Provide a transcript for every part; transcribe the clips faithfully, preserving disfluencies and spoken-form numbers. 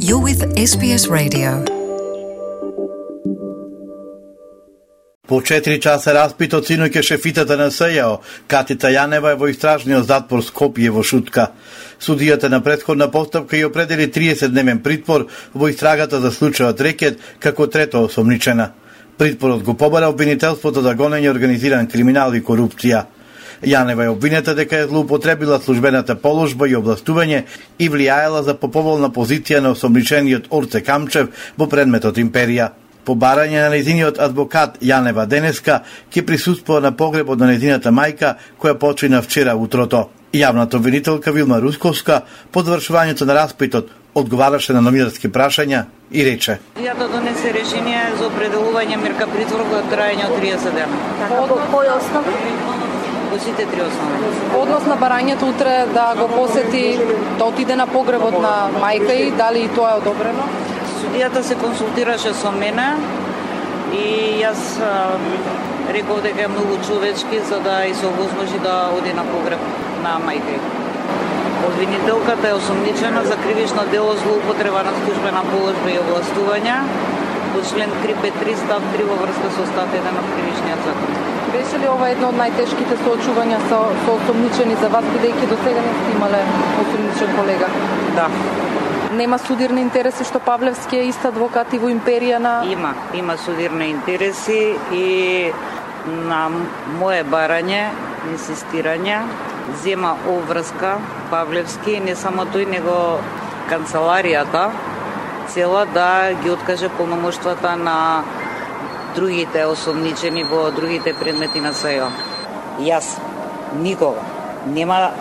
You're with Ес Би Ес Radio. По четири часа распит од синоќа шефитата на СЈО, Катица Јанева е во истражниот затвор Скопје во Шутка. Судијата на претходна постапка ја определи триесетдневен притвор во истрагата за случајот Рекет како трето осомничена. Притворот го побара обвинителството за гонење организиран криминал и корупција. Јанева е обвинета дека е злоупотребила службената положба и областување и влијаела за поповолна позиција на осомничениот Орце Камчев во предметот Империја. По барање на нејзиниот адвокат Јанева денеска ќе присуствува на погребот на нејзината мајка која почина вчера утрото. Јавната обвинителка Вилма Русковска по завршувањето на распитот одговараше на новинарски прашања и рече: Ја да донесе решение за определување мерка притвор во трајање од триесет дена. По кој основ? По сите три основи. Однос на барањето утре да го посети, да отиде на погребот на мајка и дали и тоа е одобрено? Судијата се консултираше со мене и јас а, реков дека е многу човечки за да и се овозможи да оди на погреб на мајка. Обвинителката е осомничена за кривично дело злоупотреба на службена положба и областување по член триста петдесет и три став три во врска со став еден од кривичниот закон. Беше ли ова едно од најтешките соочувања со, со осомничени за вас, бидејќи до сега не сте имале осомничен колега? Да. Нема судирни интереси што Павлевски е ист адвокат и во Империја на... Има, има судирни интереси и на мое барање, инсистирање, зема обврска Павлевски, не само тој, него канцеларијата, цела да ги откаже полномоштвата на другите осомничени во другите предмети на СЈО. Јас никога нема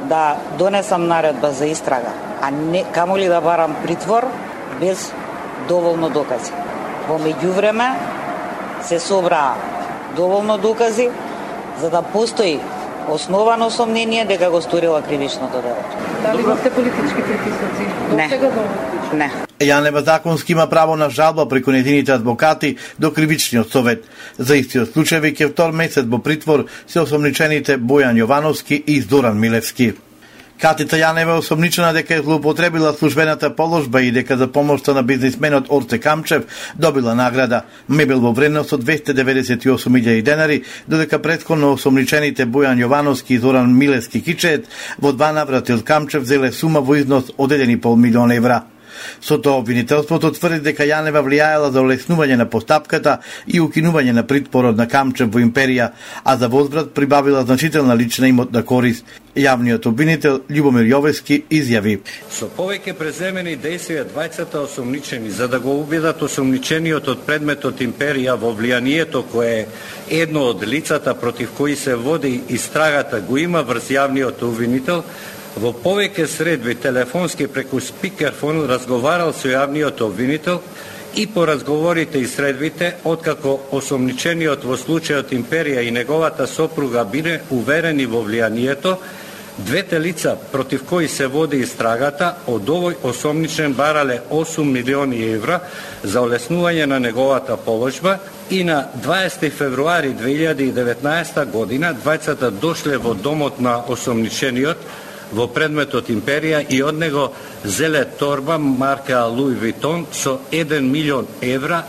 да донесам наредба за истрага, а не камоли да барам притвор без доволно докази. Во меѓувреме се собраа доволно докази за да постои основано сомнение дека го сторила кривичното дело. Дали имате политички притисоци? До сега до Не. Јанева законски има право на жалба преку нејзините адвокати до кривичниот совет. За истиот случај веќе втор месец во притвор се осомничените Бојан Јовановски и Зоран Милевски. Катица Јанева е осомничена дека е злоупотребила службената положба и дека за помошта на бизнисменот Орце Камчев добила награда мебел во вредност од двесте деветдесет и осум илјади денари, додека претходно осомничените Бојан Јовановски и Зоран Милевски Кичеет во два наврати од Камчев зеле сума во износ од еден и пол милион евра. Со тоа обвинителството тврди дека Јанева влијаела за олеснување на постапката и укинување на притворот на Камчев во Империја, а за возврат прибавила значителна лична имотна корист. Јавниот обвинител Љубомир Јовески изјави: Со повеќе преземени дејствија двајцата осомничени за да го убедат осомничениот од предметот Империја во влијанието кое е едно од лицата против кои се води истрагата го има врз јавниот обвинител, во повеќе средби телефонски преку спикерфон разговарал со јавниот обвинител и по разговорите и средбите, откако осомничениот во случајот Империја и неговата сопруга биле уверени во влијанието, двете лица против кои се води истрагата од овој осомничен барале осум милиони евра за олеснување на неговата положба и на дваесети февруари две илјади и деветнаесета година двајцата дошле во домот на осомничениот во предметот Империја и од него зеле торба марка Луи Витон со еден милион евра,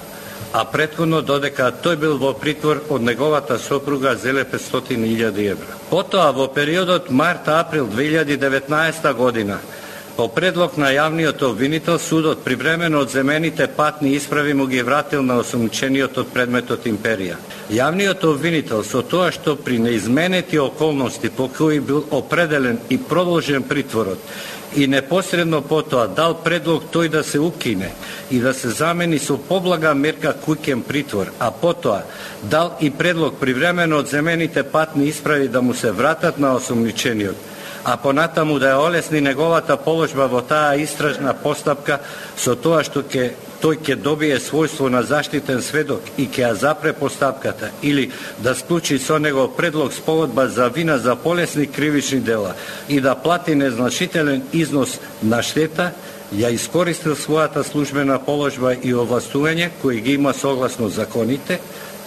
а претходно додека тој бил во притвор од неговата сопруга зеле петстотини илјади евра. Потоа во периодот март-април две илјади и деветнаесета година по предлог на јавниот обвинител судот привремено одземените патни исправи му ги вратил на осомничениот од предметот Империја. Јавниот обвинител со тоа што при неизменети околности по кои бил определен и продолжен притворот и непосредно потоа дал предлог тој да се укине и да се замени со поблага мерка куќен притвор, а потоа дал и предлог привремено одземените патни исправи да му се вратат на осомничениот, а понатаму да ја олесни неговата положба во таа истражна постапка со тоа што ќе тој ќе добие својство на заштитен сведок и ќе ја запре постапката или да склучи со него предлог спогодба за вина за полесни кривични дела и да плати незначителен износ на штета, ја искористил својата службена положба и овластување кои ги има согласно законите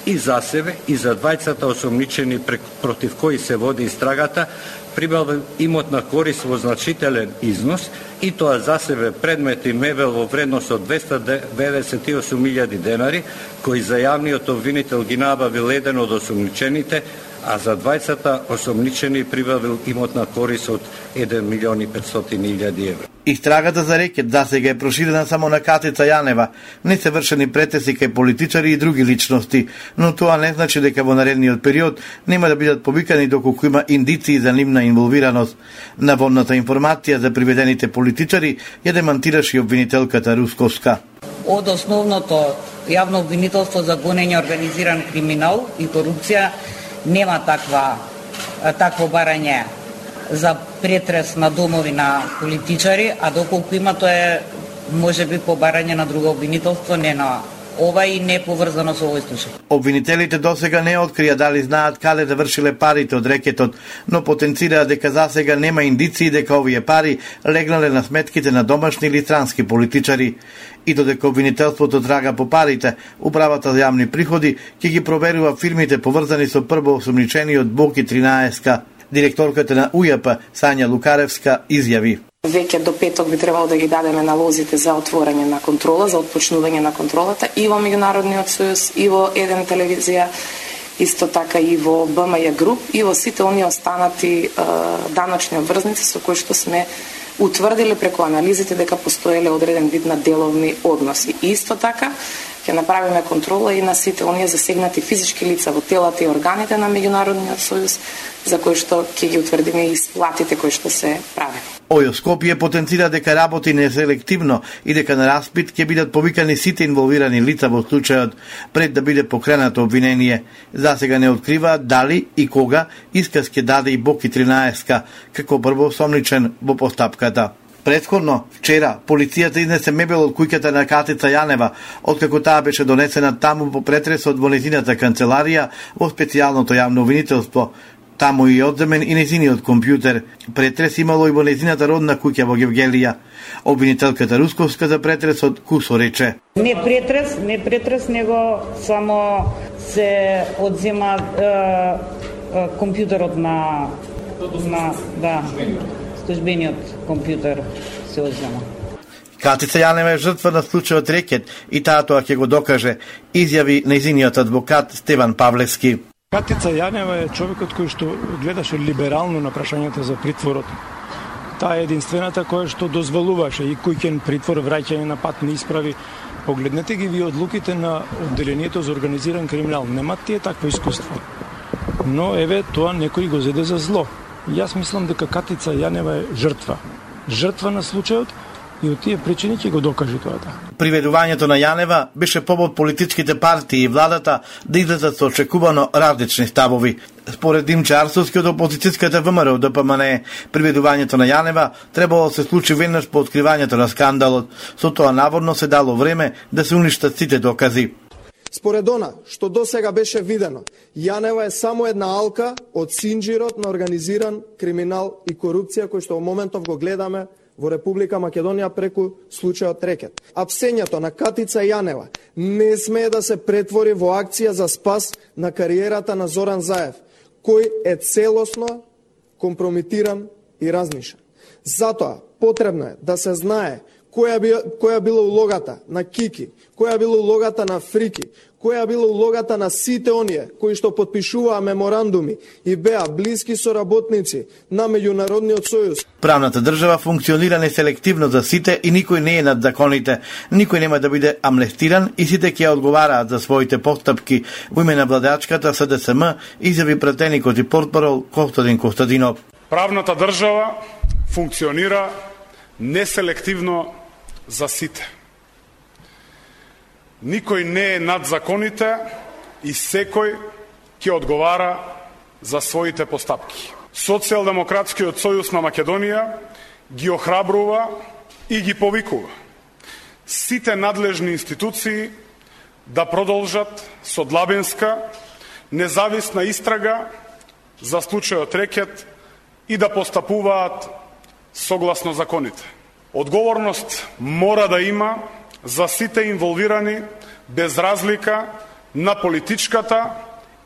и за себе и за двајцата осомничени против кои се води истрагата прибавил имотна корист во значителен износ и тоа за себе предмет и мебел во вредност од двесте деведесет и осум илјади денари, кои за јавниот обвинител ги набавил еден од осомничените, а за двајцата осомничени прибавил имотна корист од еден милион и петстотини илјади евра. Истрагата за рекет засега е проширена само на Катица Јанева. Не се вршени претеси кај политичари и други личности, но тоа не значи дека во наредниот период нема да бидат повикани доколку има индиции за нивна инволвираност. Наводната информација за приведените политичари ја демантираше и обвинителката Русковска. Од основното јавно обвинителство за гонење организиран криминал и корупција нема таква такво барање за претрес на домови на политичари, а доколку има тоа е можеби побарање на друго обвинителство, не на ова и не поврзано со овој случај. Обвинителите досега не открија дали знаат каде завршиле парите од рекетот, но потенцираа дека засега нема индиции дека овие пари легнале на сметките на домашни или странски политичари. И додека обвинителството трага по парите, управата за јавни приходи ќе ги проверува фирмите поврзани со прво осомничениот Боки тринаесет. Директорката на УЈП Сања Лукаревска изјави: Веќе до петок би требало да ги дадеме налозите за отворање на контрола, за отпочнување на контролата и во Меѓународниот сојуз, и во еден телевизија, исто така и во БМЈ груп, и во сите оние останати е, даночни обврзници со кои што сме утврдили преку анализите дека постоеле одреден вид на деловни односи. И исто така ќе направиме контрола и на сите оние засегнати физички лица во телата и органите на Меѓународниот сојуз, за кои што ќе ги утврдиме и исплатите кои што се правени. ОЈО Скопје потенцира дека работи неселективно и дека на распит ќе бидат повикани сите инволвирани лица во случајот пред да биде покренато обвинение. Засега не открива дали и кога исказ ќе даде и Боки тринаесет како прво осомничен во постапката. Претходно, вчера, полицијата изнесе мебел од куќата на Катица Јанева, откако таа беше донесена таму по претресот во нејзината канцеларија во специјалното јавно обвинителство. Таму и одземен и нејзиниот компјутер. Претрес имало и во нејзината родна куќа во Гевгелија. Обвинителката Русковска за претресот кусо рече: Не претрес, не претрес, него само се одзема е, е, компјутерот на, на да, службениот компјутер се одзема. Катица Јанева е жртва на случајот рекет и таа тоа ќе го докаже, изјави нејзиниот адвокат Стеван Павлевски. Катица Јанева е човекот кој што гледаше либерално на прашањата за притворот. Таа е единствената која што дозволуваше и куќен притвор, враќање на патни исправи. Погледнете ги ви одлуките на одделението за организиран криминал. Немат тие такво искуство. Но еве тоа некој го зеде за зло. И јас мислам дека Катица Јанева е жртва. Жртва на случајот и од тие причини ќе го докаже тоа. Приведувањето на Јанева беше повод политичките партии и владата да излезат со очекувано различни ставови. Според Димче Арсовски од опозицијската ВМРО ДПМНЕ, приведувањето на Јанева требало да се случи веднаш по откривањето на скандалот. Со тоа наводно се дало време да се уништат сите докази. Според она што досега беше видено, Јанева е само една алка од синџирот на организиран криминал и корупција кој што во моментов го гледаме во Република Македонија преку случајот рекет. Апсењето на Катица Јанева не смее да се претвори во акција за спас на кариерата на Зоран Заев, кој е целосно компрометиран и разнишен. Затоа потребно е да се знае која би, која била улогата на Кики, која била улогата на Фрики, која била улогата на сите оние кои што потпишуваа меморандуми и беа блиски соработници на Меѓународниот сојуз. Правната држава функционира неселективно за сите и никој не е над законите. Никој нема да биде амнестиран и сите ќе одговараат за своите постапки во име на владачката СДСМ, изјави пратеникот и портпарол Костадин Костадинов. Правната држава функционира неселективно за сите. Никој не е над законите и секој ќе одговара за своите постапки. Социјалдемократскиот сојуз на Македонија ги охрабрува и ги повикува сите надлежни институции да продолжат со длабинска, независна истрага за случајот рекет и да постапуваат согласно законите. Одговорност мора да има за сите инволвирани без разлика на политичката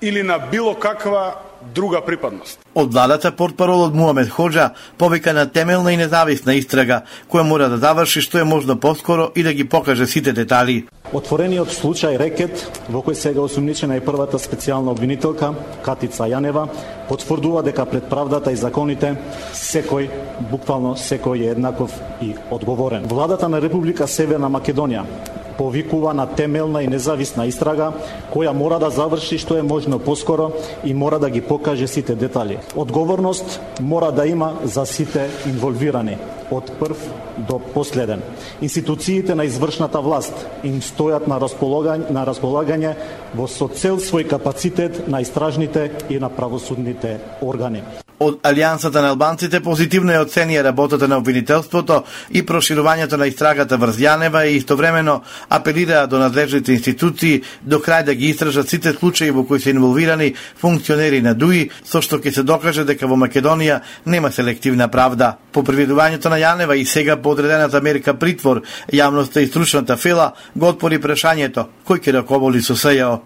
или на било каква друга припадност. Од владата портпаролот Муамед Хоџа повика на темелна и независна истрага, која мора да заврши што е можно поскоро и да ги покаже сите детали. Отворениот случај Рекет, во кој сега осумничена и првата специјална обвинителка, Катица Јанева, потврдува дека пред правдата и законите секој, буквално секој е еднаков и одговорен. Владата на Република Северна Македонија повикува на темелна и независна истрага, која мора да заврши што е можно поскоро и мора да ги покаже сите детали. Одговорност мора да има за сите инволвирани, од прв до последен. Институциите на извршната власт им стојат на располагање, на располагање во со цел свој капацитет на истражните и на правосудните органи. Од Алијансата на албанците позитивно е оценија работата на обвинителството и проширувањето на истрагата врз Јанева и истовремено апелираа до надлежните институции до крај да ги истражат сите случаи во кои се инволвирани функционери на ДУИ, со што ќе се докаже дека во Македонија нема селективна правда. По приведувањето на Јанева и сега подредената мерка притвор, јавноста и стручната фела го отпори прашањето кој ќе раководи со СЈО.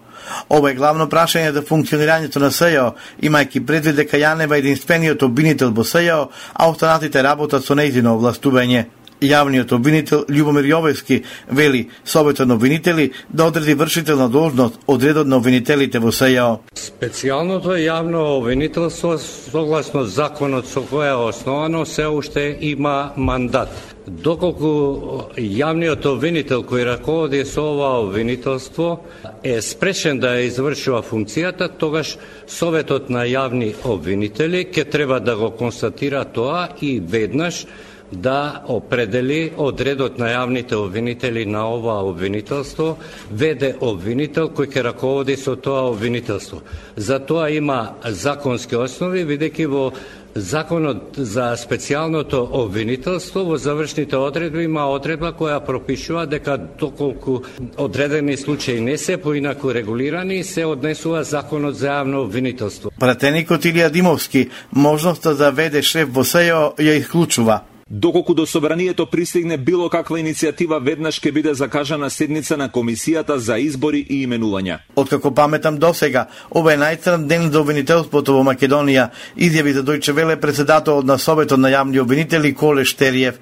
Ова е главно прашање за функционирањето на СЈО, имајќи предвид дека Јанева е единствениот обвинител во СЈО, а останатите работат со нејзино овластување. Јавниот обвинител Љубомир Јовевски вели Советот на обвинители да одреди вршителна должност од редот на обвинителите во СЈО. Специјалното јавно обвинителство согласно законот со кој е основано се уште има мандат. Доколку јавниот обвинител кој раководи со ова обвинителство е спрешен да ја извршува функцијата, тогаш Советот на јавни обвинители ќе треба да го констатира тоа и веднаш да определи одредот на јавните обвинители на ова обвинителство, веде обвинител кој ќе раководи со тоа обвинителство. За тоа има законски основи, бидејќи во Законот за специјалното обвинителство во завршните одредби има одредба која пропишува дека доколку одредени случаи не се поинаку регулирани, се однесува Законот за јавно обвинителство. Пратеникот Илија Димовски можноста да веде шеф во СЈО ја исклучува. Доколку до собранието пристигне било каква иницијатива, веднаш ќе биде закажана седница на Комисијата за избори и именувања. Откако паметам досега, ова е најцрн ден за обвинителството во Македонија, изјави за Дојче Веле председателот на Советот на јавни обвинители Коле Штериев.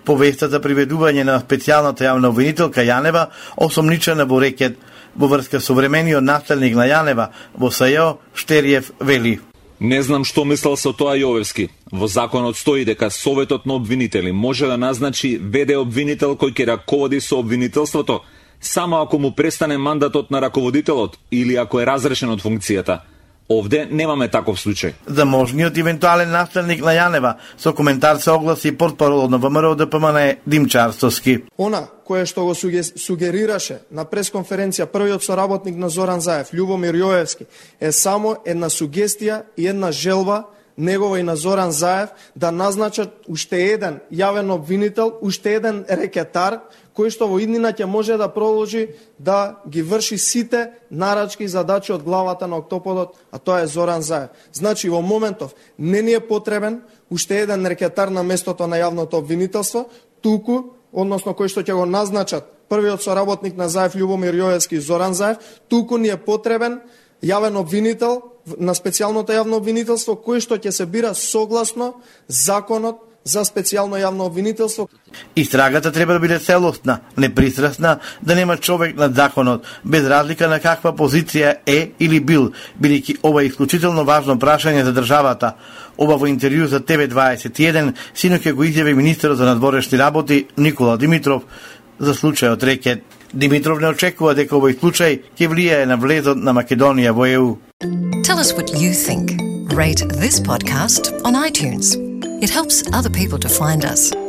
По веста за приведување на специјалната јавна обвинителка Јанева, осомничена во Рекет, во врска со времениот наследник на Јанева во СЈО, Штериев вели: Не знам што мислел со тоа Јовевски. Во законот стои дека Советот на обвинители може да назначи веде обвинител кој ќе раководи со обвинителството, само ако му престане мандатот на раководителот или ако е разрешен од функцијата. Овде немаме таков случај. За можниот евентуален наследник на Јанева, со коментар се огласи портпаролот на ВМРО Д П М Н Димчо Арстовски. Она кое што го сугерираше на пресконференција првиот соработник на Зоран Заев, Љубомир Јовевски, е само една сугестија и една желба негова и на Зоран Заев да назначат уште еден јавен обвинител, уште еден рекетар, кој што во иднина ќе може да продолжи да ги врши сите нарачки и задачи од главата на октоподот, а тоа е Зоран Заев. Значи, во моментов не ни е потребен уште еден рекетар на местото на јавното обвинителство, туку, односно кој што ќе го назначат првиот соработник на Заев, Љубомир Јовевски и Зоран Заев, туку ни е потребен јавен обвинител на специјалното јавно обвинителство, кој што ќе се бира согласно законот за специјално јавно обвинителство. Истрагата треба да биде целосна, непристрасна, да нема човек над законот, без разлика на каква позиција е или бил, бидејќи ова е исклучително важно прашање за државата. Ова во интервју за Т В дваесет и еден синоќа го изјави министерот за надворешни работи Никола Димитров за случајот Рекет. Димитров не очекува дека овој случај ќе влијае на влезот на Македонија во Е У. Tell us what you think. Rate this podcast on iTunes. It helps other people to find us.